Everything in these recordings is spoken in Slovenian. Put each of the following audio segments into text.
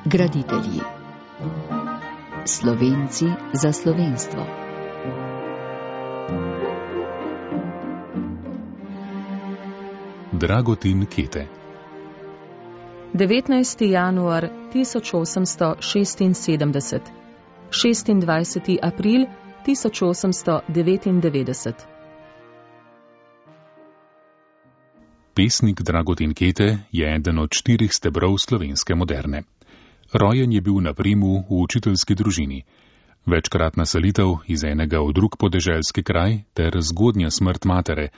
Graditelji. Slovenci za slovenstvo. Dragutin Kete. 19. januar 1876, 26. april 1899. Pesnik Dragutin Kete je eden od 4 stebrov slovenske moderne. Rojen je bil na Primu v učiteljski družini. Večkratna selitev iz enega v drug podeželski kraj ter zgodnja smrt matere,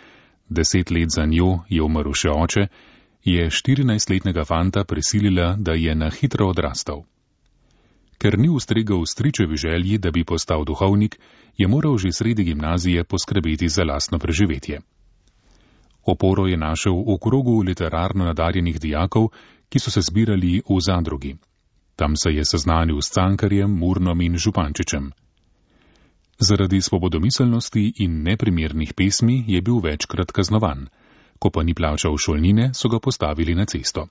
10 let za njo je umrl še oče, je 14-letnega fanta prisilila, da je na hitro odrastal. Ker ni ustregel stričevi želji, da bi postal duhovnik, je moral že sredi gimnazije poskrbeti za lastno preživetje. Oporo je našel v krogu literarno nadarjenih dijakov, ki so se zbirali v zadrugi. Tam se je seznanil s Cankarjem, Murnom in Župančičem. Zaradi svobodomiselnosti in neprimernih pesmi je bil večkrat kaznovan. Ko pa ni plačal šolnine, so ga postavili na cesto.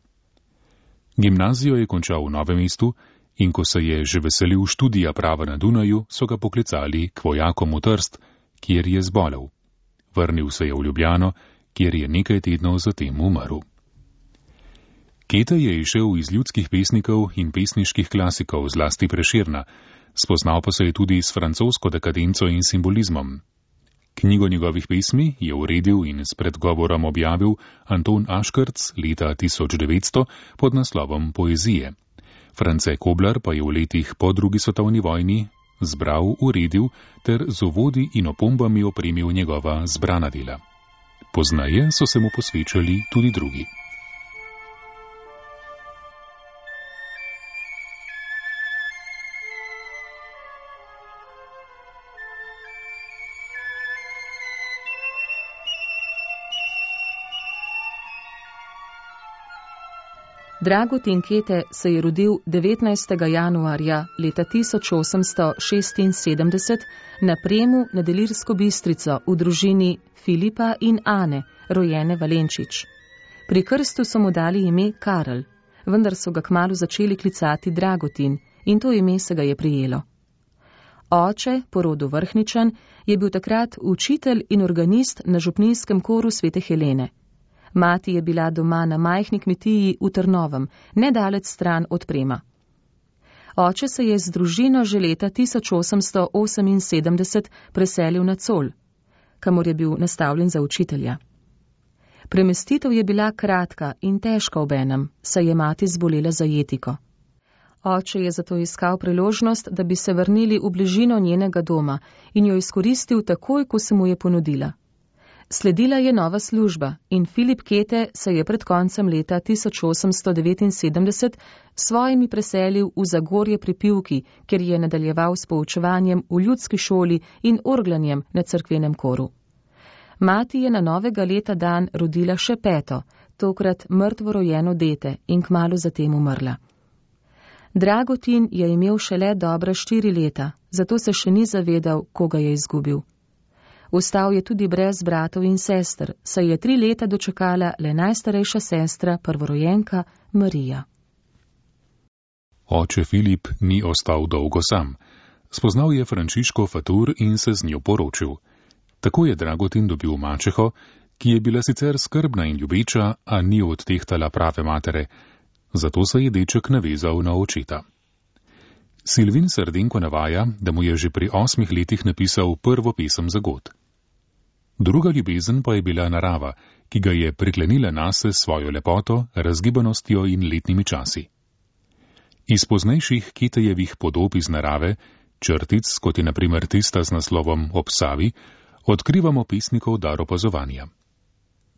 Gimnazijo je končal v Novem mestu in ko se je že veselil študija prava na Dunaju, so ga poklicali k vojakom v Trst, kjer je zbolel. Vrnil se je v Ljubljano, kjer je nekaj tednov zatem umrl. Kete je izšel iz ljudskih pesnikov in pesniških klasikov, zlasti Prešerna, spoznal pa se je tudi s francosko dekadenco in simbolizmom. Knjigo njegovih pesmi je uredil in s predgovorom objavil Anton Aškrc leta 1900 pod naslovom Poezije. France Koblar pa je v letih po drugi svetovni vojni zbral, uredil ter z uvodi in opombami opremil njegova zbrana dela. Poznaje so se mu posvečali tudi drugi. Dragutin Kete se je rodil 19. januarja leta 1876 na Premu nad Ilirsko Bistrico v družini Filipa in Ane, rojene Valenčič. Pri krstu so mu dali ime Karel, vendar so ga kmalu začeli klicati Dragutin in to ime se ga je prijelo. Oče, po rodu Vrhničan, je bil takrat učitelj in organist na župnijskem koru Svete Helene. Mati je bila doma na majhni kmetiji v Trnovem, nedalec stran od Prema. Oče se je z družino že leta 1878 preselil na Col, kamor je bil nastavljen za učitelja. Premestitev je bila kratka in težka obenem, saj je mati zbolela za jetiko. Oče je zato iskal priložnost, da bi se vrnili v bližino njenega doma in jo izkoristil takoj, ko se mu je ponudila. Sledila je nova služba in Filip Kete se je pred koncem leta 1879 svojimi preselil v Zagorje pri Pivki, kjer je nadaljeval s poučevanjem v ljudski šoli in orglanjem na cerkvenem koru. Mati je na novega leta dan rodila še 5., tokrat mrtvo rojeno dete in kmalu zatem umrla. Dragutin je imel šele dobra 4 leta, zato se še ni zavedal, koga je izgubil. Ostal je tudi brez bratov in sester, saj je 3 leta dočakala le najstarejša sestra, prvorojenka Marija. Oče Filip ni ostal dolgo sam. Spoznal je Frančiško Fatur in se z njo poročil. Tako je Dragutin dobil mačeho, ki je bila sicer skrbna in ljubeča, a ni odtehtala prave matere. Zato se je deček navezal na očeta. Silvin Srdenko navaja, da mu je že pri 8 letih napisal prvo pesem za god. Druga ljubezen pa je bila narava, ki ga je priklenila nase s svojo lepoto, razgibanostjo in letnimi časi. Iz poznejših Ketejevih podob iz narave, črtic, kot je na primer tista z naslovom Ob Savi, odkrivamo pesnikov dar opazovanja.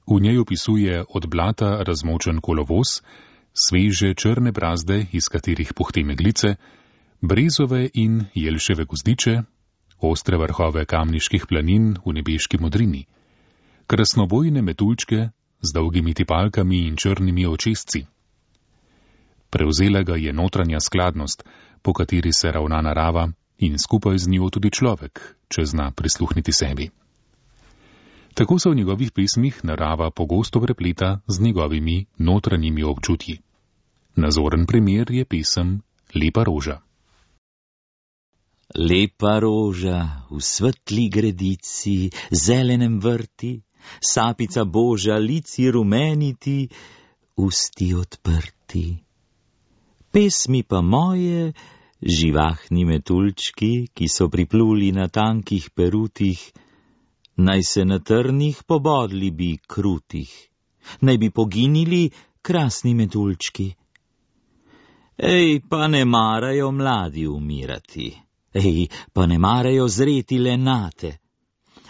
V njej opisuje od blata razmočen kolovoz, sveže črne brazde, iz katerih puhti meglice, brezove in jelševe gozdiče, ostre vrhove kamniških planin v nebeški modrini, krasnobojne metuljčke z dolgimi tipalkami in črnimi očesci. Prevzela ga je notranja skladnost, po kateri se ravna narava in skupaj z njo tudi človek, če zna prisluhniti sebi. Tako se v njegovih pesmih narava pogosto prepleta z njegovimi notranjimi občutji. Nazoren primer je pesem Lepa roža. Lepa roža v svetli gredici, zelenem vrti, sapica božja, lici rumeniti, usti odprti. Pesmi pa moje, živahni metuljčki, ki so pripluli na tankih perutih, naj se na trnih pobodli bi krutih, naj bi poginili krasni metuljčki. Ej, pa ne marajo mladi umirati, ej, pa ne marajo zreti lenate.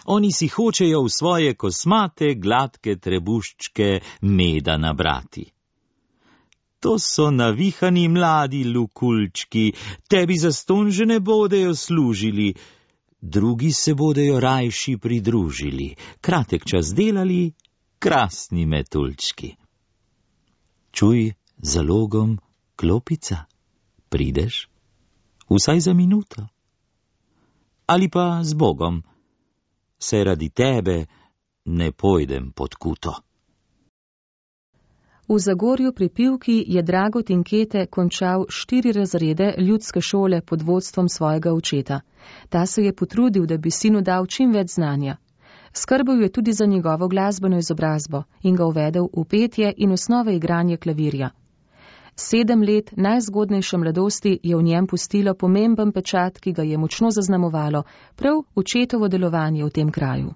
Oni si hočejo v svoje kosmate gladke trebuščke meda nabrati. To so navihani mladi lukulčki, tebi zastonj že ne bodejo služili, drugi se bodejo rajši pridružili, kratek čas delali, krasni metuljčki. Čuj, zalogom klopica, prideš? Vsaj za minuto. Ali pa z Bogom, se radi tebe ne pojdem pod kuto. V Zagorju pri Pivki je Dragotin Kete končal 4 razrede ljudske šole pod vodstvom svojega očeta. Ta se je potrudil, da bi sinu dal čim več znanja. Skrbel je tudi za njegovo glasbeno izobrazbo in ga uvedel v petje in osnove igranja klavirja. 7 let najzgodnejše mladosti je v njem pustilo pomemben pečat, ki ga je močno zaznamovalo prav očetovo delovanje v tem kraju.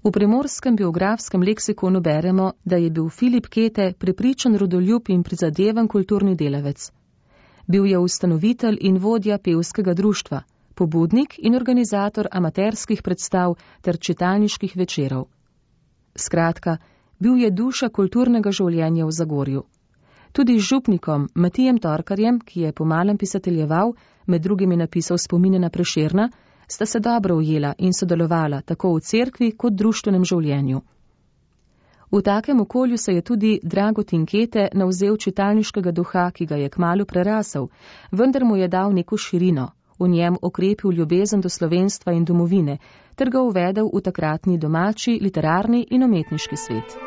V primorskem biografskem leksikonu beremo, da je bil Filip Kete prepričan rodoljub in prizadeven kulturni delavec. Bil je ustanovitelj in vodja pevskega društva, pobudnik in organizator amaterskih predstav ter čitalniških večerov. Skratka, bil je duša kulturnega življenja v Zagorju. Tudi z župnikom Matijem Torkarjem, ki je pomalem pisateljeval, med drugimi napisal spomine na Prešerna, sta se dobro ujela in sodelovala tako v cerkvi kot društvenem življenju. V takem okolju se je tudi Dragotin Kete navzel čitalniškega duha, ki ga je kmalu prerasel, vendar mu je dal neko širino, v njem okrepil ljubezen do slovenstva in domovine, ter ga uvedel v takratni domači, literarni in umetniški svet.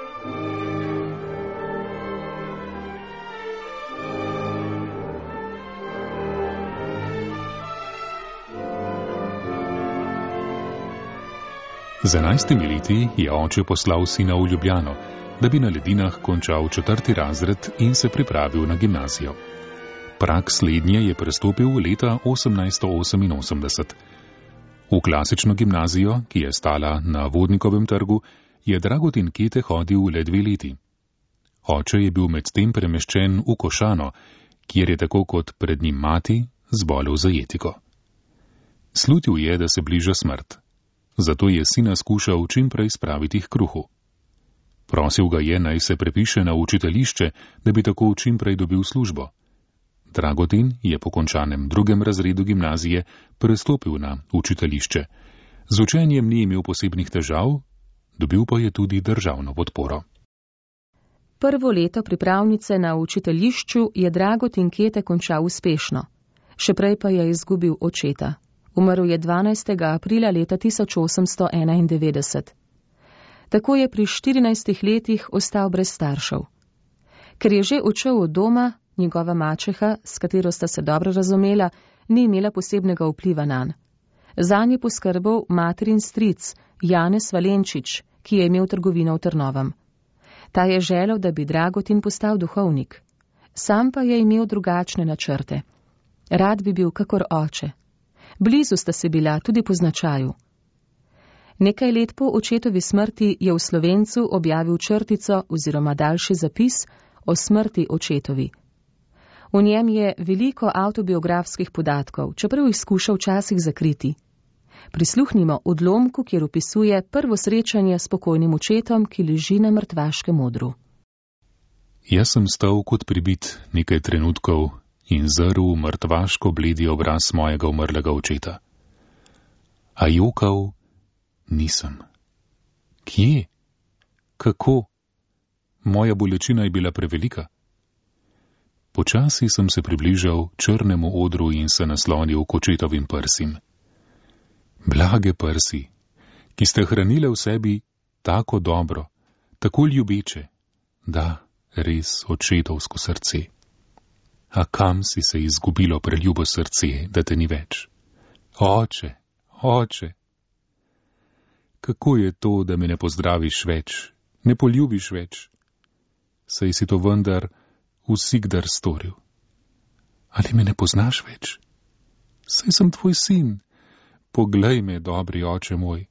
Z 11 leti je oče poslal sina v Ljubljano, da bi na Ledinah končal 4. razred in se pripravil na gimnazijo. Prag slednje je prestopil leta 1888. V klasično gimnazijo, ki je stala na Vodnikovem trgu, je Dragotin Kete hodil le 2 leti. Oče je bil medtem premeščen v Košano, kjer je tako kot pred njim mati zbolel za jetiko. Slutil je, da se bliža smrt. Zato je sina skušal čim prej spraviti k kruhu. Prosil ga je, naj se prepiše na učiteljišče, da bi tako čim prej dobil službo. Dragotin je po končanem 2. razredu gimnazije prestopil na učiteljišče. Z učenjem ni imel posebnih težav, dobil pa je tudi državno podporo. Prvo leto pripravnice na učiteljišču je Dragotin Kete končal uspešno. Še prej pa je izgubil očeta. Umrl je 12. aprila leta 1891. Tako je pri 14 letih ostal brez staršev. Ker je že odšel od doma, njegova mačeha, s katero sta se dobro razumela, ni imela posebnega vpliva nanj. Zanj je poskrbel materin stric Janez Valenčič, ki je imel trgovino v Trnovem. Ta je želel, da bi Dragotin postal duhovnik. Sam pa je imel drugačne načrte. Rad bi bil kakor oče. Blizu sta se bila tudi po značaju. Nekaj let po očetovi smrti je v Slovencu objavil črtico oziroma daljši zapis o smrti očetovi. V njem je veliko avtobiografskih podatkov, čeprav jih skuša včasih zakriti. Prisluhnimo odlomku, kjer opisuje prvo srečanje s pokojnim očetom, ki leži na mrtvaškem odru. Jaz sem stal kot pribit nekaj trenutkov in zrl mrtvaško bledi obraz mojega umrlega očeta. A jokal nisem. Kje? Kako? Moja bolečina je bila prevelika. Počasi sem se približal črnemu odru in se naslonil k očetovim prsim. Blage prsi, ki ste hranile v sebi tako dobro, tako ljubeče, da res očetovsko srce. A kam si se izgubilo preljubo srce, da te ni več? Oče, oče, kako je to, da me ne pozdraviš več, ne poljubiš več? Saj si to vendar vsikdar storil. Ali me ne poznaš več? Saj sem tvoj sin, poglej me, dobri oče moj.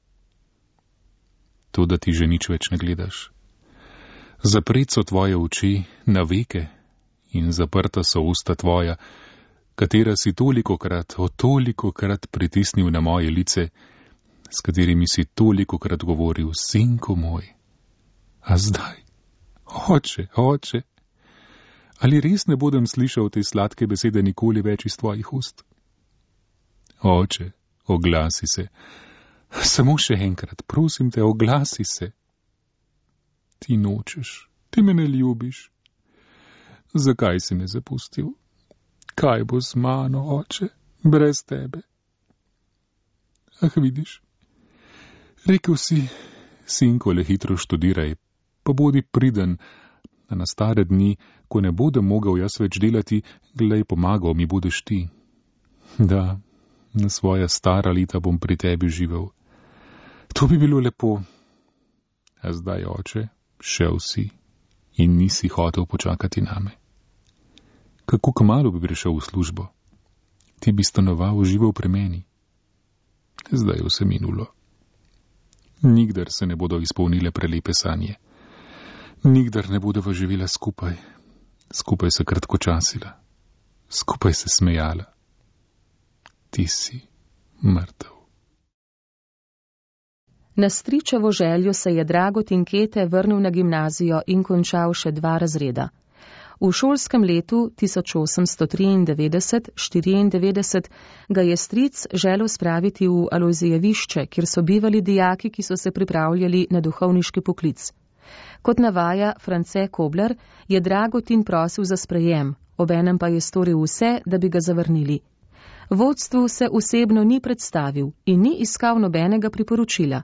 To, da ti že nič več ne gledaš. Zapret so tvoje oči na veke in zaprta so usta tvoja, katera si tolikokrat pritisnil na moje lice, s katerimi si tolikokrat govoril, sinko moj. A zdaj, oče, oče, ali res ne bodem slišal te sladke besede nikoli več iz tvojih ust? Oče, oglasi se, samo še enkrat, prosim te, oglasi se. Ti nočeš, ti me ne ljubiš. Zakaj si me zapustil? Kaj bo z mano, oče, brez tebe? Ah, vidiš, rekel si, sinko, le hitro študiraj, pa bodi priden, a na stare dni, ko ne bodem mogel jaz več delati, glej, pomagal mi budeš ti. Da, na svoja stara leta bom pri tebi živel. To bi bilo lepo. A zdaj, oče, šel si in nisi hotel počakati name. Kako kmalu bi prišel v službo? Ti bi stanoval živel pri meni. Zdaj je vse minulo. Nikdar se ne bodo izpolnile prelepe sanje. Nikdar ne bodova živela skupaj. Skupaj se kratkočasila. Skupaj se smejala. Ti si mrtev. Na stričevo željo se je Dragotin Kete vrnil na gimnazijo in končal še 2 razreda. V šolskem letu 1893-94 ga je stric želel spraviti v Alojzijevišče, kjer so bivali dijaki, ki so se pripravljali na duhovniški poklic. Kot navaja France Kobler, je Dragotin prosil za sprejem, obenem pa je storil vse, da bi ga zavrnili. Vodstvu se osebno ni predstavil in ni iskal nobenega priporočila.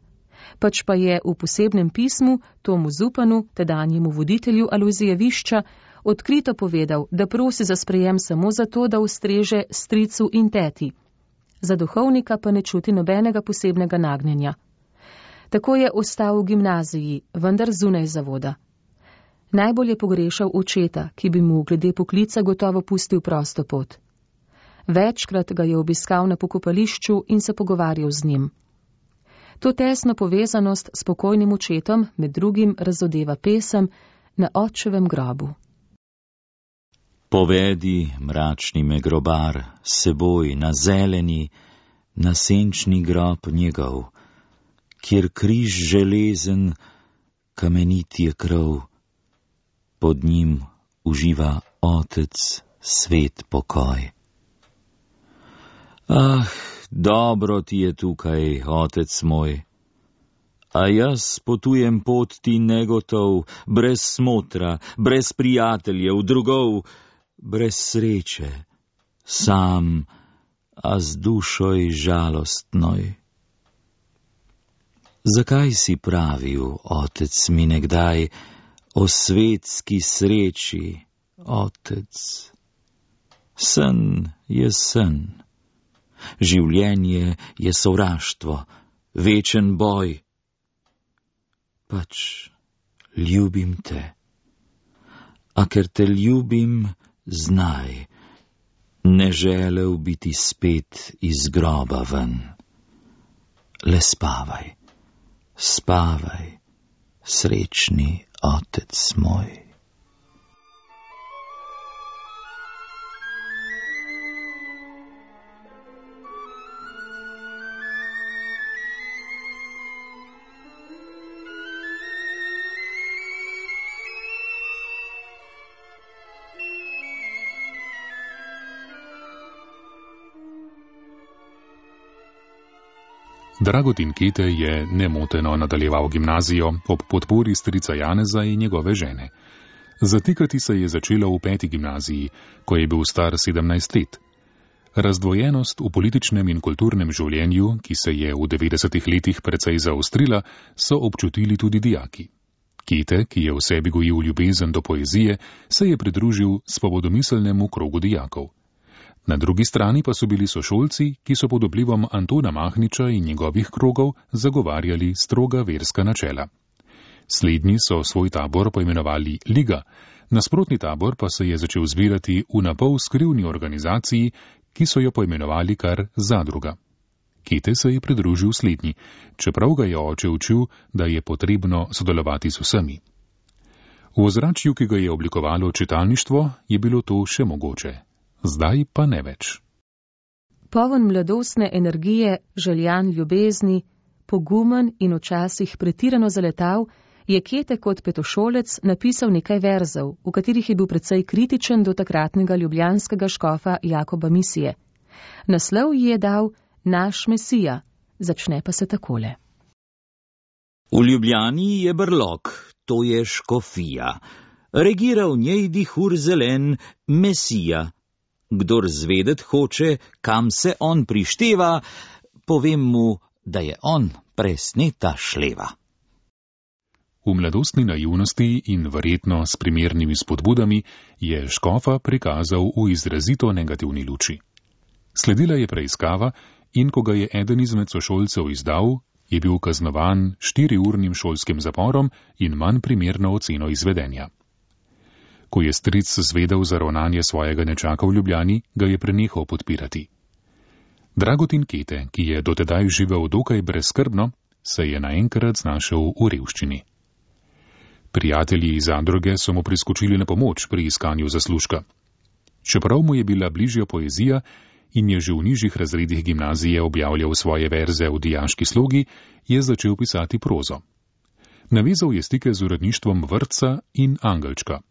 Pač pa je v posebnem pismu Tomu Zupanu, tedanjemu voditelju Alojzijevišča, odkrito povedal, da prosi za sprejem samo zato, da ustreže stricu in teti. Za duhovnika pa ne čuti nobenega posebnega nagnjenja. Tako je ostal v gimnaziji, vendar zunaj zavoda. Najbolj je pogrešal očeta, ki bi mu glede poklica gotovo pustil prosto pot. Večkrat ga je obiskal na pokopališču in se pogovarjal z njim. To tesno povezanost s pokojnim očetom med drugim razodeva pesem Na očevem grobu. Povedi, mračni me grobar, seboj na zeleni, na senčni grob njegov, kjer križ železen, kamenit je krov, pod njim uživa Otec svet pokoj. Ah, dobro ti je tukaj, Otec moj, a jaz potujem pot ti negotov, brez smotra, brez prijateljev, drugov, brez sreče, sam, a z dušoj žalostnoj. Zakaj si pravil, Otec mi nekdaj, o svetski sreči, Otec? Sen je sen. Življenje je sovraštvo, večen boj. Pač ljubim te, a ker te ljubim, znaj, ne želel biti spet iz groba ven. Le spavaj, spavaj, srečni Otec moj. Dragotin Kete je nemoteno nadaljeval gimnazijo ob podpori strica Janeza in njegove žene. Zatikati se je začelo v 5. gimnaziji, ko je bil star 17 let. Razdvojenost v političnem in kulturnem življenju, ki se je v 90. letih precej zaostrila, so občutili tudi dijaki. Kete, ki je v sebi gojil ljubezen do poezije, se je pridružil svobodomiselnemu krogu dijakov. Na drugi strani pa so bili sošolci, ki so pod vplivom Antona Mahniča in njegovih krogov zagovarjali stroga verska načela. Slednji so svoj tabor poimenovali Liga, nasprotni tabor pa se je začel zbirati v napol skrivni organizaciji, ki so jo poimenovali kar Zadruga. Kete se je pridružil slednji, čeprav ga je oče učil, da je potrebno sodelovati z vsemi. V ozračju, ki ga je oblikovalo čitalništvo, je bilo to še mogoče. Zdaj pa ne več. Poln mladostne energije, željan ljubezni, pogumen in včasih pretirano zaletav, je Kete kot petošolec napisal nekaj verzov, v katerih je bil precej kritičen do takratnega ljubljanskega škofa Jakoba Misije. Naslov ji je dal Naš Mesija, začne pa se takole. V Ljubljani je brlog, to je škofija. Regira v njej dihur zelen Mesija. Kdor zvedet hoče, kam se on prišteva, povem mu, da je on presneta šleva. V mladostni naivnosti in verjetno s primernimi spodbudami je škofa prikazal v izrazito negativni luči. Sledila je preiskava in ko ga je eden izmed sošolcev izdal, je bil kaznovan 4-urnim šolskim zaporom in manj primerno oceno izvedenja. Ko je stric zvedel za ravnanje svojega nečaka v Ljubljani, ga je prenehal podpirati. Dragotin Kete, ki je dotedaj živel dokaj brezskrbno, se je naenkrat znašel v revščini. Prijatelji iz Zadruge so mu priskočili na pomoč pri iskanju zaslužka. Čeprav mu je bila bližja poezija in je že v nižjih razredih gimnazije objavljal svoje verze v dijaški slogi, je začel pisati prozo. Navezal je stike z uredništvom Vrtca in Angelčka.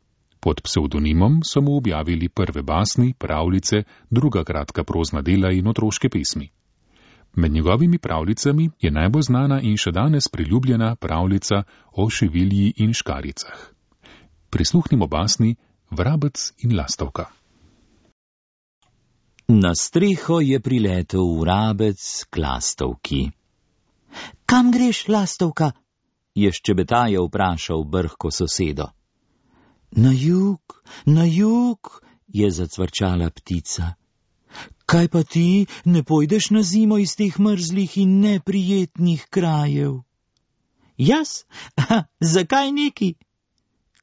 Pod psevdonimom so mu objavili prve basni, pravljice, druga kratka prozna dela in otroške pesmi. Med njegovimi pravljicami je najbolj znana in še danes priljubljena pravljica o šivilji in škaricah. Prisluhnimo basni Vrabec in lastovka. Na streho je priletel vrabec k lastovki. Kam greš, lastovka? Je ščebetaje vprašal brhko sosedo. Na jug, je zacvrčala ptica. Kaj pa ti, ne pojdeš na zimo iz teh mrzlih in neprijetnih krajev? Jaz? Zakaj neki?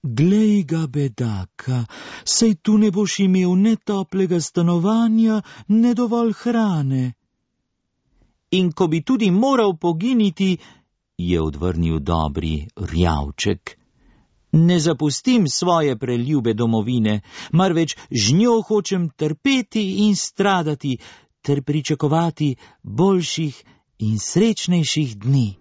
Glej ga, bedaka, sej tu ne boš imel ne toplega stanovanja, ne dovolj hrane. In ko bi tudi moral poginiti, je odvrnil dobri rjavček, ne zapustim svoje preljube domovine, marveč z njo hočem trpeti in stradati, ter pričakovati boljših in srečnejših dni.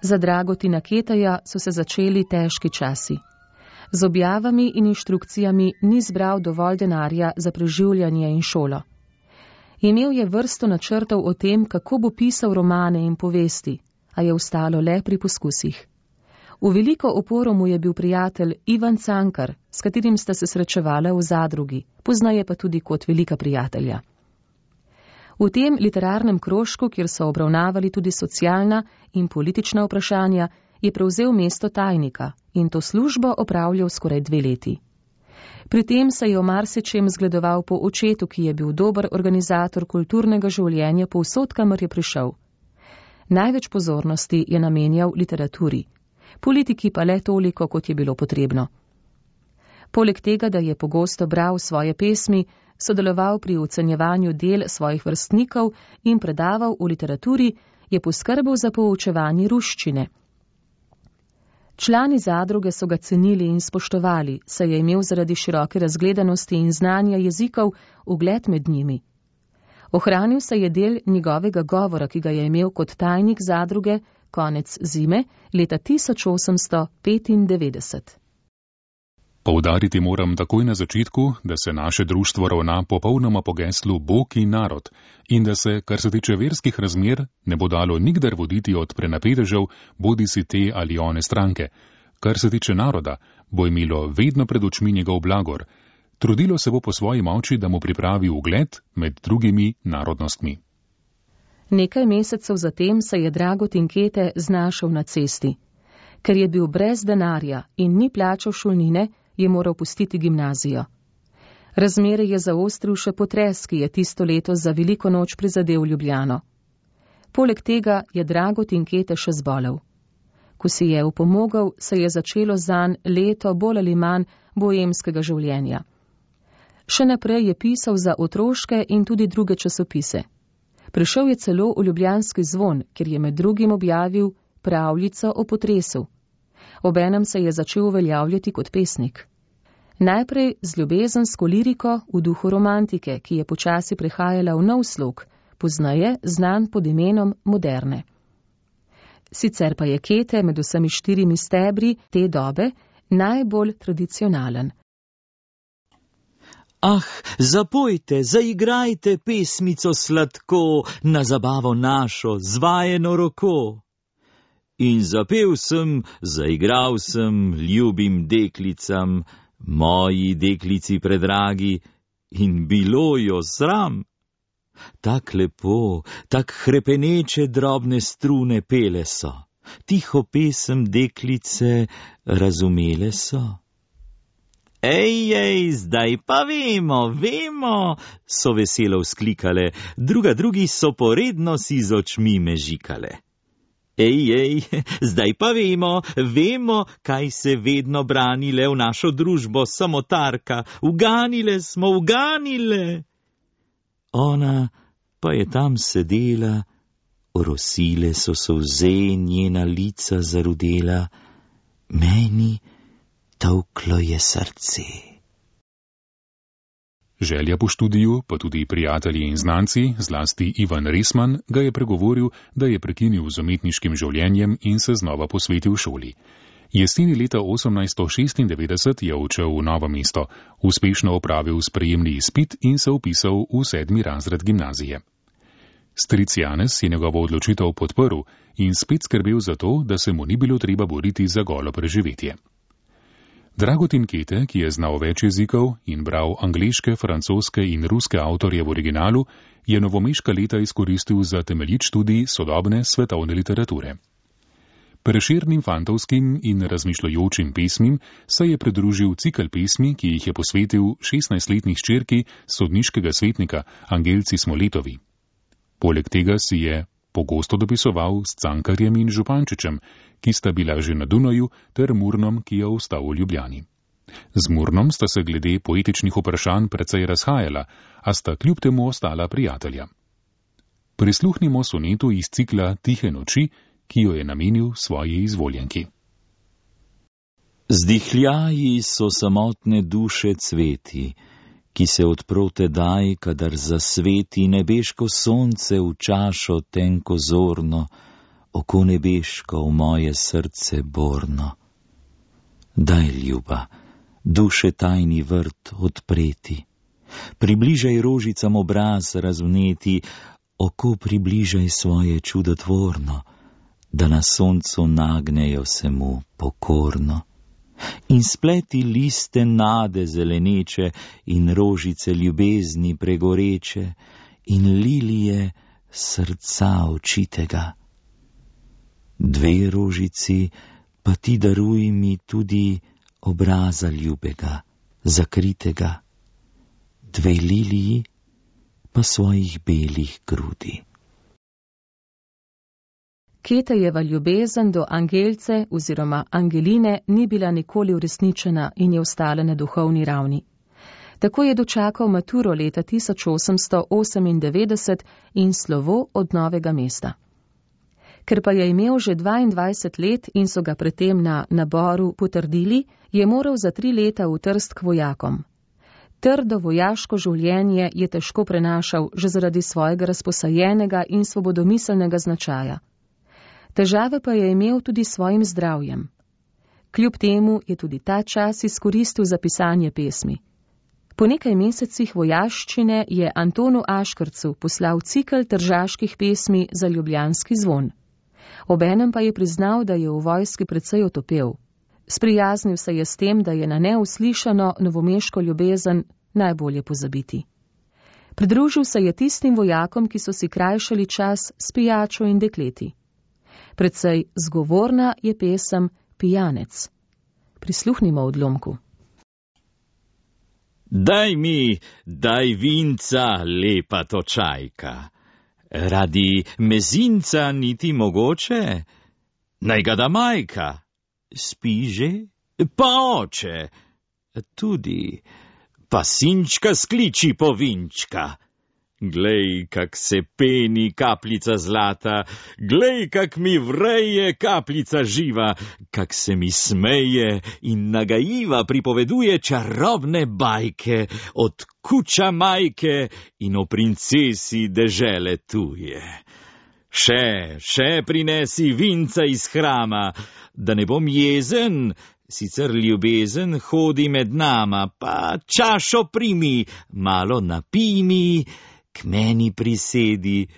Za Dragotina Keteja so se začeli težki časi. Z objavami in inštrukcijami ni zbral dovolj denarja za preživljanje in šolo. Imel je vrsto načrtov o tem, kako bo pisal romane in povesti, a je ostalo le pri poskusih. V veliko oporo mu je bil prijatelj Ivan Cankar, s katerim sta se srečevala v Zadrugi, poznaje pa tudi kot velika prijatelja. V tem literarnem krožku, kjer so obravnavali tudi socialna in politična vprašanja, je prevzel mesto tajnika in to službo opravljal skoraj 2 leti. Pri tem se je o marsičem zgledoval po očetu, ki je bil dober organizator kulturnega življenja povsod, kamor je prišel. Največ pozornosti je namenjal literaturi, politiki pa le toliko, kot je bilo potrebno. Poleg tega, da je pogosto bral svoje pesmi, sodeloval pri ocenjevanju del svojih vrstnikov in predaval v literaturi, je poskrbel za poučevanje ruščine. Člani Zadruge so ga cenili in spoštovali, saj je imel zaradi široke razgledanosti in znanja jezikov ugled med njimi. Ohranil se je del njegovega govora, ki ga je imel kot tajnik Zadruge, konec zime leta 1895. Poudariti moram takoj na začetku, da se naše društvo ravna popolnoma po geslu Bog in narod in da se, kar se tiče verskih razmer, ne bo dalo nikdar voditi od prenapedežev, bodisi te ali one stranke. Kar se tiče naroda, bo imelo vedno pred očmi njegov blagor. Trudilo se bo po svoji moči, da mu pripravi ugled med drugimi narodnostmi. Nekaj mesecev zatem se je Dragutin Kete znašel na cesti. Ker je bil brez denarja in ni plačal šolnine, je moral pustiti gimnazijo. Razmere je zaostril še potres, ki je tisto leto za veliko noč prizadel Ljubljano. Poleg tega je Dragutin Kete še zbolel. Ko si je upomogel, se je začelo zanj leto bolj ali manj boemskega življenja. Še naprej je pisal za otroške in tudi druge časopise. Prišel je celo v ljubljanski Zvon, kjer je med drugim objavil pravljico o potresu. Obenem se je začel uveljavljati kot pesnik. Najprej z ljubezensko liriko v duhu romantike, ki je počasi prehajala v nov slog, poznaje znan pod imenom moderne. Sicer pa je Kete med vsemi 4 stebri te dobe najbolj tradicionalen. Ah, zapojte, zaigrajte pesmico sladko, na zabavo našo, z vajeno roko. In zapel sem, zaigral sem, ljubim deklicam, moji deklici predragi, in bilo jo sram. Tak lepo, tak hrepeneče drobne strune pele so, tiho pesem deklice razumele so. Ej, zdaj pa vemo, so veselo vzklikale, drugi so poredno si z očmi mežikale. Ej, zdaj pa vemo, kaj se vedno branile v našo družbo samotarka, uganile smo. Ona pa je tam sedela, orosile so solze, njena lica zarudela, meni tolklo je srce. Želja po študiju, pa tudi prijatelji in znanci, zlasti Ivan Resman, ga je pregovoril, da je prekinil z umetniškim življenjem in se znova posvetil šoli. Jeseni leta 1896 je odšel v Novo mesto, uspešno opravil sprejemni izpit in se vpisal v 7. razred gimnazije. Stric Janez je njegovo odločitev podprl in spet skrbel za to, da se mu ni bilo treba boriti za golo preživetje. Dragutin Kete, ki je znal več jezikov in bral angleške, francoske in ruske avtorje v originalu, je novomeška leta izkoristil za temeljit študij sodobne svetovne literature. Prešernim fantovskim in razmišljajočim pesmim se je pridružil cikel pesmi, ki jih je posvetil 16-letni hčerki sodniškega svetnika Angelci Smoletovi. Poleg tega si je pogosto dopisoval s Cankarjem in Župančičem, ki sta bila že na Dunaju, ter Murnom, ki je ostal v Ljubljani. Z Murnom sta se glede poetičnih vprašanj precej razhajala, a sta kljub temu ostala prijatelja. Prisluhnimo sonetu iz cikla Tihe noči, ki jo je namenil svoji izvoljenki. Zdihljaji so samotne duše cveti, ki se odpro tedaj, kadar zasveti nebeško sonce v čašo tenko zorno, oko nebeško v moje srce borno. Daj, ljuba, duše tajni vrt odpreti, približaj rožicam obraz razvneti, oko približaj svoje čudotvorno, da na soncu nagnejo se mu pokorno. In spleti liste nade zeleneče in rožice ljubezni pregoreče in lilije srca očitega. 2 rožici pa ti daruj mi tudi obraza ljubega, zakritega, 2 liliji pa svojih belih grudi. Ketejeva ljubezen do Angelce oziroma Angeline ni bila nikoli uresničena in je ostala na duhovni ravni. Tako je dočakal maturo leta 1898 in slovo od Novega mesta. Ker pa je imel že 22 let in so ga predtem na naboru potrdili, je moral za 3 leta v Trst k vojakom. Trdo vojaško življenje je težko prenašal že zaradi svojega razposajenega in svobodomiselnega značaja. Težave pa je imel tudi s svojim zdravjem. Kljub temu je tudi ta čas izkoristil za pisanje pesmi. Po nekaj mesecih vojaščine je Antonu Aškrcu poslal cikel tržaških pesmi za ljubljanski zvon. Obenem pa je priznal, da je v vojski precej otopel. Sprijaznil se je s tem, da je na neuslišano novomeško ljubezen najbolje pozabiti. Pridružil se je tistim vojakom, ki so si krajšali čas s pijačo in dekleti. Precej zgovorna je pesem Pijanec. Prisluhnimo odlomku. Daj vinca, lepa točajka. Radi mezinca niti mogoče? Naj ga da majka. Spi že? Pa oče. Tudi. Pa sinčka skliči po vinčka. Glej, kak se peni kapljica zlata, glej, kak mi vreje kapljica živa, kak se mi smeje in nagajiva pripoveduje čarobne bajke od kuča majke in o princesi dežele tuje. Še prinesi vinca iz hrama, da ne bom jezen, sicer ljubezen hodi med nama, pa čašo primi, malo napij mi, k meni prisedi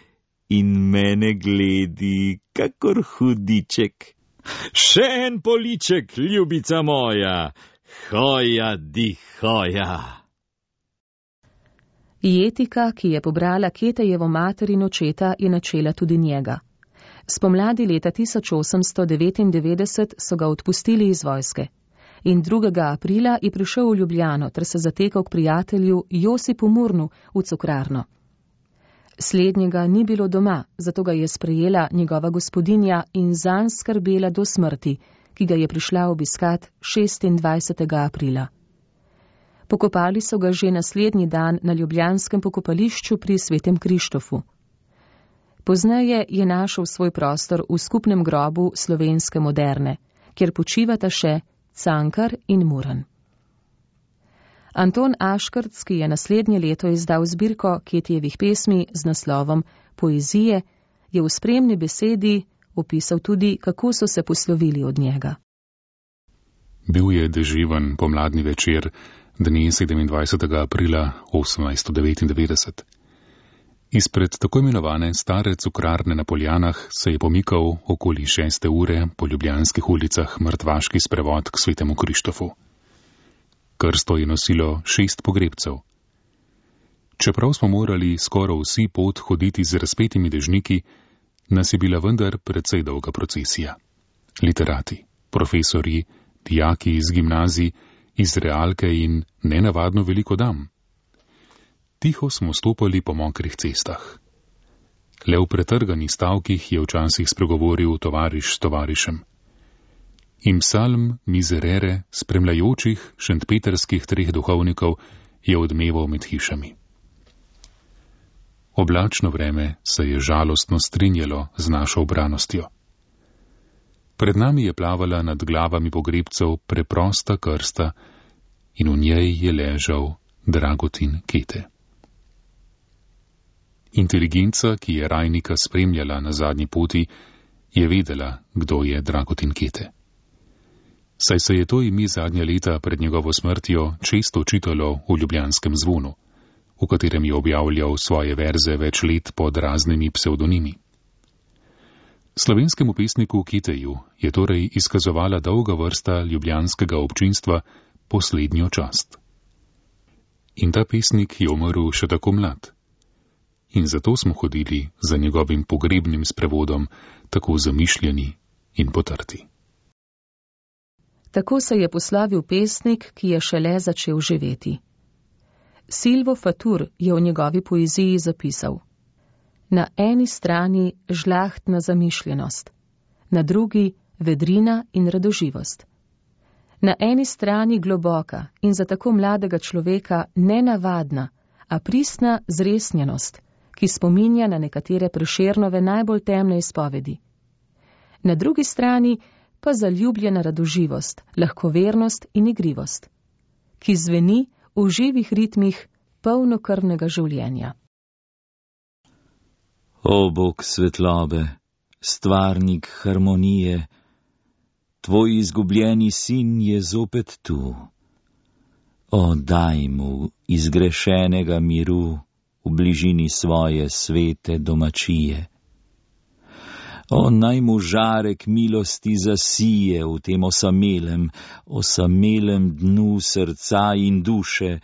in mene gledi, kakor hudiček. Še en poliček, ljubica moja, hoja di hoja. Jetika, ki je pobrala Ketejevo mater in očeta, je načela tudi njega. Spomladi leta 1899 so ga odpustili iz vojske in 2. aprila je prišel v Ljubljano ter se zatekal k prijatelju Josipu Murnu v cukrarno. Slednjega ni bilo doma, zato ga je sprejela njegova gospodinja in zanj skrbela do smrti, ki ga je prišla obiskat 26. aprila. Pokopali so ga že naslednji dan na ljubljanskem pokopališču pri Svetem Krištofu. Pozneje je našel svoj prostor v skupnem grobu slovenske moderne, kjer počivata še Cankar in Muran. Anton Aškrc, ki je naslednje leto izdal zbirko Ketijevih pesmi z naslovom Poezije, je v spremni besedi opisal tudi, kako so se poslovili od njega. Bil je deževen pomladni večer, dne 27. aprila 1899. Izpred tako imenovane stare cukrarne na Poljanah se je pomikal okoli 6. ure po ljubljanskih ulicah mrtvaški sprevod k Svetemu Krištofu. Krsto je nosilo 6 pogrebcev. Čeprav smo morali skoraj vsi pot hoditi z razpetimi dežniki, nas je bila vendar precej dolga procesija. Literati, profesorji, dijaki iz gimnazij, iz realke in nenavadno veliko dam. Tiho smo stopali po mokrih cestah. Le v pretrganih stavkih je včasih spregovoril tovariš s tovarišem. In psalm Miserere, spremljajočih šentpeterskih 3 duhovnikov, je odmeval med hišami. Oblačno vreme se je žalostno strinjalo z našo ubranostjo. Pred nami je plavala nad glavami pogrebcev preprosta krsta in v njej je ležal Dragutin Kete. Inteligenca, ki je Rajnika spremljala na zadnji poti, je vedela, kdo je Dragutin Kete. Saj se je to ime zadnja leta pred njegovo smrtjo često čitalo v ljubljanskem zvonu, v katerem je objavljal svoje verze več let pod raznimi psevdonimi. Slovenskemu pesniku Keteju je torej izkazovala dolga vrsta ljubljanskega občinstva poslednjo čast. In ta pesnik je umrl še tako mlad. In zato smo hodili za njegovim pogrebnim sprevodom, tako zamišljeni in potrti. Tako se je poslavil pesnik, ki je šele začel živeti. Silvo Fatur je v njegovi poeziji zapisal: na eni strani žlahtna zamišljenost, na drugi vedrina in radoživost. Na eni strani globoka in za tako mladega človeka nenavadna, a pristna zresnjenost, ki spominja na nekatere Prešernove najbolj temne izpovedi. Na drugi strani pa zaljubljena radoživost, lahkovernost in igrivost, ki zveni v živih ritmih polnokrvnega življenja. O Bog svetlobe, stvarnik harmonije, tvoj izgubljeni sin je zopet tu. O, daj mu izgrešenega miru v bližini svoje svete domačije. O, naj mu žarek milosti zasije v tem osamelem dnu srca in duše,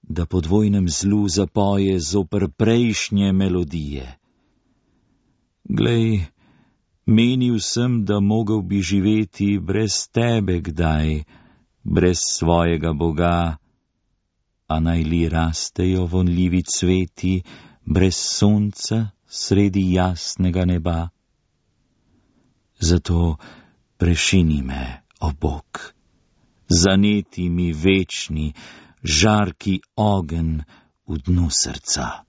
da po dvojnem zlu zapoje zoper prejšnje melodije. Glej, menil sem, da mogel bi živeti brez tebe kdaj, brez svojega Boga, a naj li rastejo vonljivi cveti brez sonca sredi jasnega neba. Zato prešini me, o Bog, zaneti mi večni, žarki ogenj v dnu srca.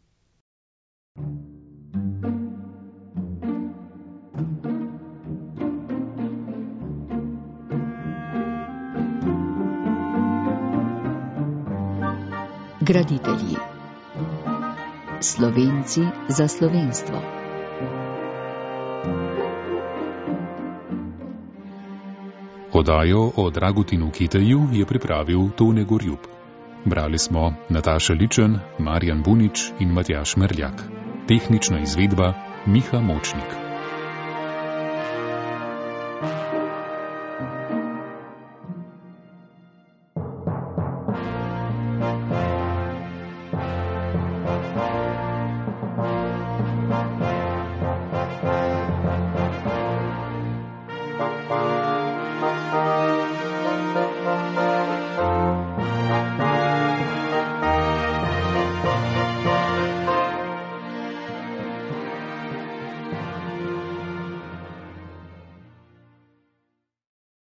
Graditelji. Slovenci za slovenstvo. Oddajo o Dragutinu Kiteju je pripravil Tone Gorjup. Brali smo Nataša Ličen, Marjan Bunič in Matjaž Merljak. Tehnična izvedba Miha Močnik.